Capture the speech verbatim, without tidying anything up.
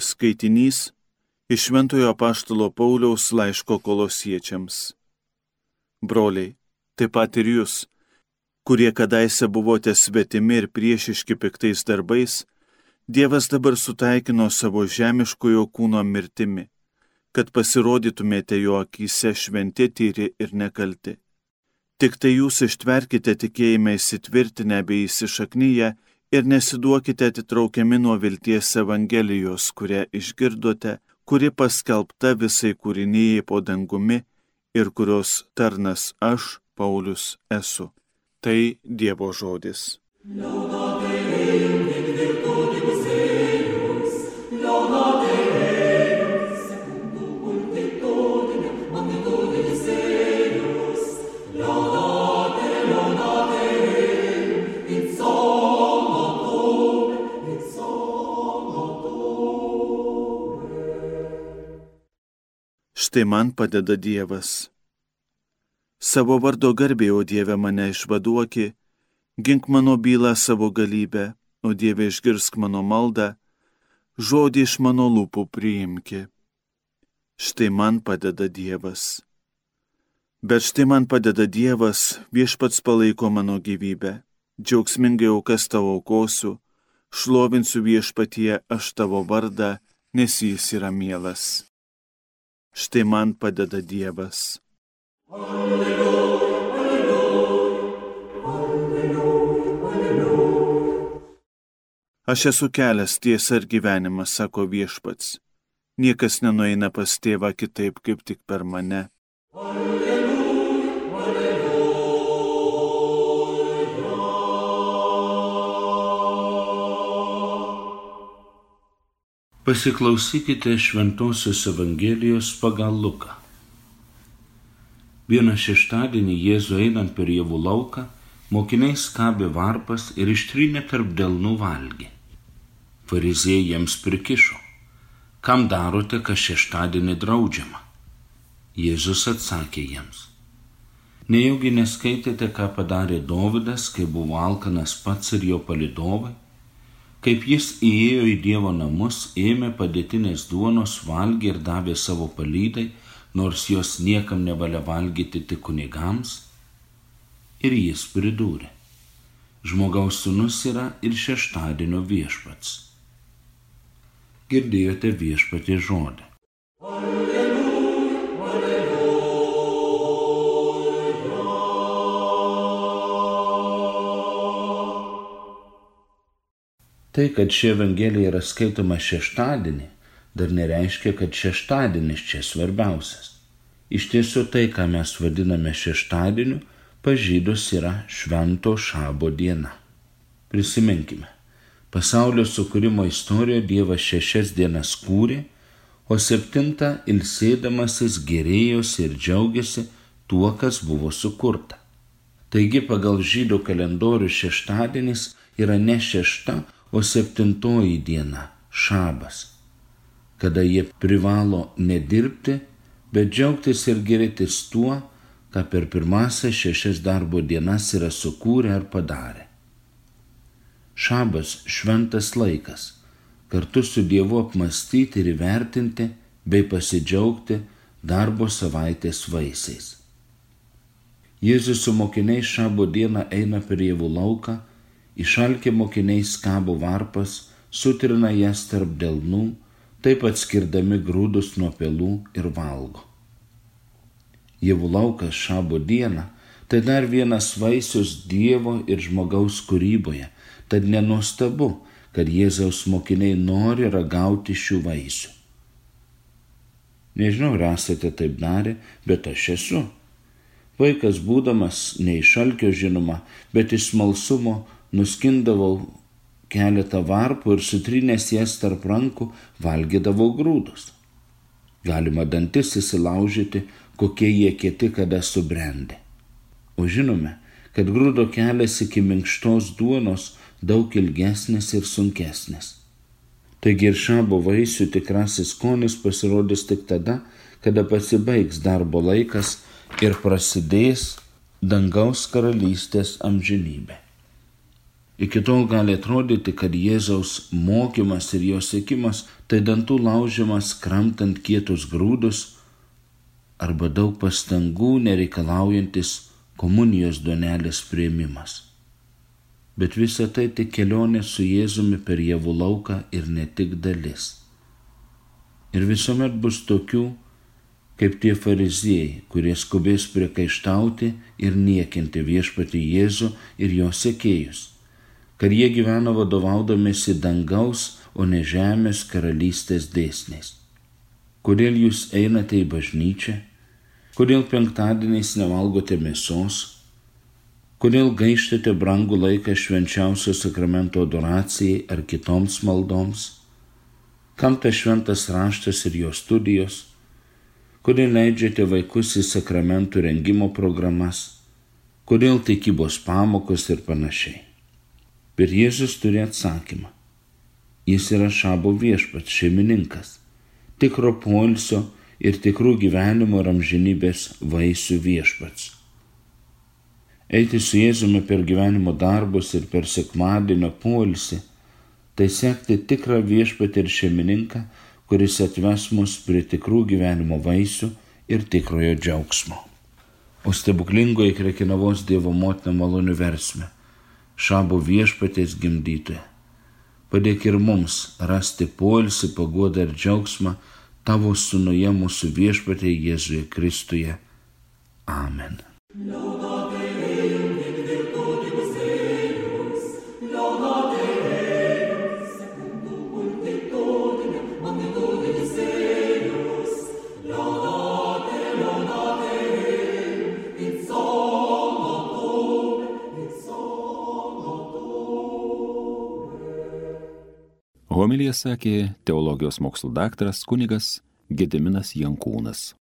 skaitinys iš Šventojo apaštalo Pauliaus laiško Kolosiečiams. Broliai, taip pat ir jūs, kurie kadaise buvote svetimi ir priešiški piktais darbais, Dievas dabar sutaikino savo žemiškojo kūno mirtimi, kad pasirodytumėte jo akyse šventi, tyri ir nekalti. Tik tai jūs ištverkite tikėjime įsitvirtinę bei įsišaknyje ir nesiduokite atitraukiami nuo vilties Evangelijos, kurią išgirdote, kuri paskelbta visai kūrinijai po dangumi ir kurios tarnas aš, Paulius, esu. Tai Dievo žodis. Štai man padeda Dievas. Savo vardo garbė, o Dieve, mane išvaduoki, gink mano bylą savo galybę, o Dieve, išgirsk mano maldą, žodį iš mano lūpų priimki. Štai man padeda Dievas. Bet štai man padeda Dievas, Viešpats palaiko mano gyvybę, džiaugsmingai aukas tavo aukosiu, šlovinsiu Viešpatyje aš tavo vardą, nes jis yra mielas. Štai man padeda Dievas. Alleluja, alleluja, alleluja, alleluja. Aš esu kelias, tiesa ir gyvenimas, sako Viešpats. Niekas nenueina pas Tėvą kitaip, kaip tik per mane. Alleluja, alleluja. Pasiklausykite Šventosios Evangelijos pagal Luką. Vieną šeštadienį Jėzų einant per javų lauką, mokiniai skabė varpas ir ištrynė tarp delnų valgį. Fariziejai jiems prikišo: kam darote, kas šeštadienį draudžiama? Jėzus atsakė jiems: nejaugi neskaitėte, ką padarė Dovydas, kai buvo alkanas pats ir jo palydovai? Kaip jis įėjo į Dievo namus, ėmė padėtinės duonos, valgė ir davė savo palydai, nors jos niekam nevalia valgyti tik kunigams? Ir jis pridūrė: žmogaus sūnus yra ir šeštadienio viešpats. Girdėjote Viešpaties žodį. Alleluja, alleluja. Tai, kad ši Evangelija yra skaitoma šeštadienį, dar nereiškia, kad šeštadienis čia svarbiausias. Iš tiesų tai, ką mes vadiname šeštadieniu, pas žydus yra švento šabo diena. Prisiminkime, pasaulio sukūrimo istorijoje Dievas šešias dienas kūrė, o septintą ilsėdamasis gėrėjosi ir džiaugiasi tuo, kas buvo sukurta. Taigi pagal žydų kalendorių šeštadienis yra ne šešta, o septintoji diena, šabas, kada jie privalo nedirbti, bet džiaugtis ir gėrėtis tuo, ką per pirmąsias šešias darbo dienas yra sukūrę ar padarę. Šabas šventas laikas, kartu su Dievu apmąstyti ir įvertinti bei pasidžiaugti darbo savaitės vaisiais. Jėzus su mokiniais šabo dieną eina per javų lauką, išalkę mokiniai skabo varpas, sutrina jas tarp delnų, taip atskirdami grūdus nuo pelų ir valgo. Javų laukas šabo dieną tai dar vienas vaisius Dievo ir žmogaus kūryboje, tad nenuostabu, kad Jėzaus mokiniai nori ragauti šių vaisių. Nežinau, ar esate taip darę, bet aš esu. Vaikas būdamas ne iš alkio žinoma, bet iš smalsumo nuskindavau keletą varpų ir sutrynęs jas tarp rankų valgydavau grūdus. Galima dantis įsilaužyti, kokie jie kieti kada subrendę. O žinome, kad grūdo kelias iki minkštos duonos daug ilgesnis ir sunkesnis. Taigi ir šabo vaisių tikrasis skonis pasirodys tik tada, kada pasibaigs darbo laikas ir prasidės dangaus karalystės amžinybė. Iki tol gali atrodyti, kad Jėzaus mokymas ir jo sekimas tai dantų laužimas kramtant kietus grūdus arba daug pastangų nereikalaujantis komunijos duonelės priėmimas. Bet visa tai tik kelionė su Jėzumi per javų lauką ir ne tik dalis. Ir visuomet bus tokių, kaip tie fariziejai, kurie skubės priekaištauti ir niekinti viešpatį Jėzų ir jo sekėjus, kad jie gyvena vadovaudamiesi dangaus, o ne žemės karalystės dėsniais. Kodėl jūs einate į bažnyčią? Kodėl penktadieniais nevalgote mėsos? Kodėl gaištate brangų laiką švenčiausio sakramento adoracijai ar kitoms maldoms? Kam tas šventas raštas ir jo studijos? Kodėl leidžiate vaikus į sakramentų rengimo programas? Kodėl tikybos pamokos ir panašiai? Bet Jėzus turi atsakymą. Jis yra šabo viešpats, šeimininkas, tikro poilsio ir tikrų gyvenimo ir amžinybės vaisių viešpats. Eiti su Jėzumi per gyvenimo darbus ir per sekmadienio poilsį, tai sekti tikrą viešpatį ir šeimininką, kuris atves mus prie tikrų gyvenimo vaisių ir tikrojo džiaugsmo. O stebuklingoji Krekenavos Dievo motina malonių versmė, šabo viešpatės gimdytoja, padėk ir mums rasti poilsį, paguodą ir džiaugsmą tavo sūnuje mūsų viešpatyje Jėzuje Kristuje. Amen. Homiliją sakė teologijos mokslų daktaras kunigas Gediminas Jankūnas.